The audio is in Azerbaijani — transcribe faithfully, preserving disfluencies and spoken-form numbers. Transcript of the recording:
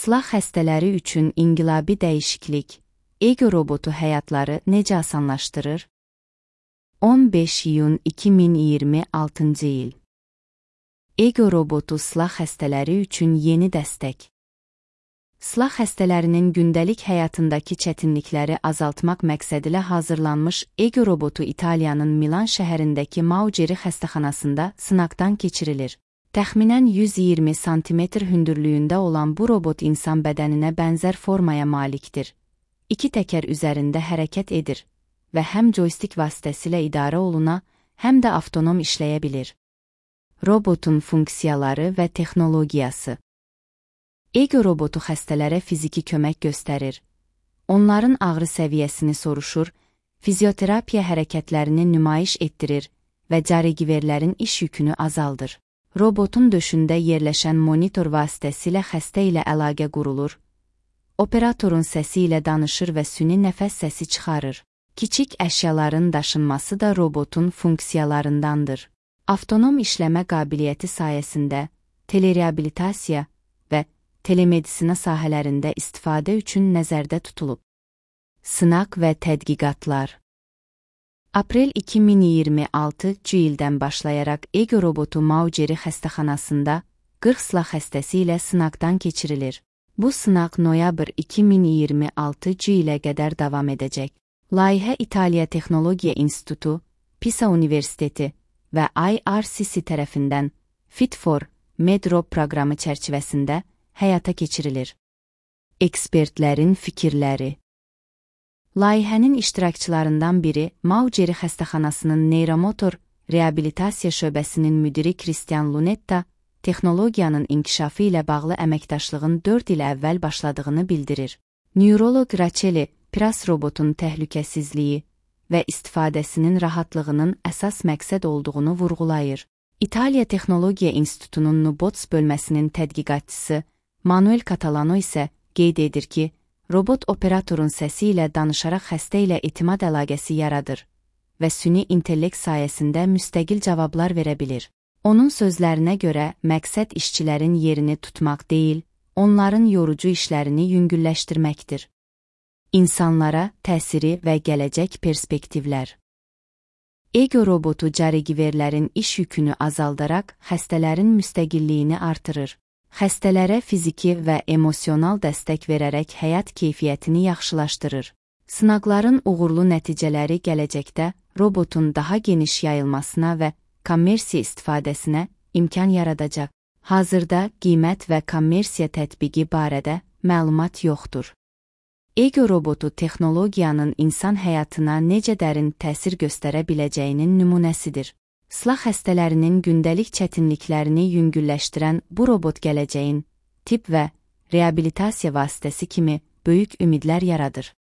Sılah xəstələri üçün inqilabi dəyişiklik. Ego robotu həyatları necə asanlaşdırır? on beş iyun iki min iyirmi altıncı il. Ego robotu sılah xəstələri üçün yeni dəstək. Sılah xəstələrinin gündəlik həyatındakı çətinlikləri azaltmaq məqsədilə hazırlanmış Ego robotu İtaliyanın Milan şəhərindəki Maugeri xəstəxanasında sınaqdan keçirilir. Təxminən yüz iyirmi santimetr hündürlüyündə olan bu robot insan bədəninə bənzər formaya malikdir. İki təkər üzərində hərəkət edir və həm joystick vasitəsilə idarə oluna, həm də avtonom işləyə bilir. Robotun funksiyaları və texnologiyası. Ego robotu xəstələrə fiziki kömək göstərir. Onların ağrı səviyyəsini soruşur, fizioterapiya hərəkətlərini nümayiş etdirir və carigiverlərin iş yükünü azaldır. Robotun döşündə yerləşən monitor vasitəsilə xəstə ilə əlaqə qurulur. Operatorun səsi ilə danışır və süni nəfəs səsi çıxarır. Kiçik əşyaların daşınması da robotun funksiyalarındandır. Avtonom işləmə qabiliyyəti sayəsində telereabilitasiya və telemedisina sahələrində istifadə üçün nəzərdə tutulub. Sınaq və tədqiqatlar. Aprel iki min iyirmi altıncı ildən başlayaraq Ego robotu Maugeri xəstəxanasında qırx sılah xəstəsi ilə sınaqdan keçirilir. Bu sınaq noyabr iki min iyirmi altıncı ilə qədər davam edəcək. Layihə İtaliya Texnologiya İnstitutu, Pisa Universiteti və I R C C tərəfindən Fit for Med-Rob proqramı çərçivəsində həyata keçirilir. Ekspertlərin fikirləri. Layihənin iştirakçılarından biri Maugeri xəstəxanasının neyromotor reabilitasiya şöbəsinin müdiri Christian Lunetta, texnologiyanın inkişafı ilə bağlı əməkdaşlığın dörd il əvvəl başladığını bildirir. Neuroloq Racheli Pras robotun təhlükəsizliyi və istifadəsinin rahatlığının əsas məqsəd olduğunu vurğulayır. İtaliya Texnologiya İnstitutunun Nubots bölməsinin tədqiqatçısı Manuel Catalano isə qeyd edir ki, robot operatorun səsi ilə danışaraq xəstə ilə etimad əlaqəsi yaradır və süni intellekt sayəsində müstəqil cavablar verə bilir. Onun sözlərinə görə məqsəd işçilərin yerini tutmaq deyil, onların yorucu işlərini yüngülləşdirməkdir. İnsanlara təsiri və gələcək perspektivlər. Ego robotu carigiverlərin iş yükünü azaldaraq xəstələrin müstəqilliyini artırır. Xəstələrə fiziki və emosional dəstək verərək həyat keyfiyyətini yaxşılaşdırır. Sınaqların uğurlu nəticələri gələcəkdə robotun daha geniş yayılmasına və kommersiya istifadəsinə imkan yaradacaq. Hazırda qiymət və kommersiya tətbiqi barədə məlumat yoxdur. Ego robotu texnologiyanın insan həyatına necə dərin təsir göstərə biləcəyinin nümunəsidir. Sılah xəstələrinin gündəlik çətinliklərini yüngülləşdirən bu robot gələcəyin tibb və reabilitasiya vasitəsi kimi böyük ümidlər yaradır.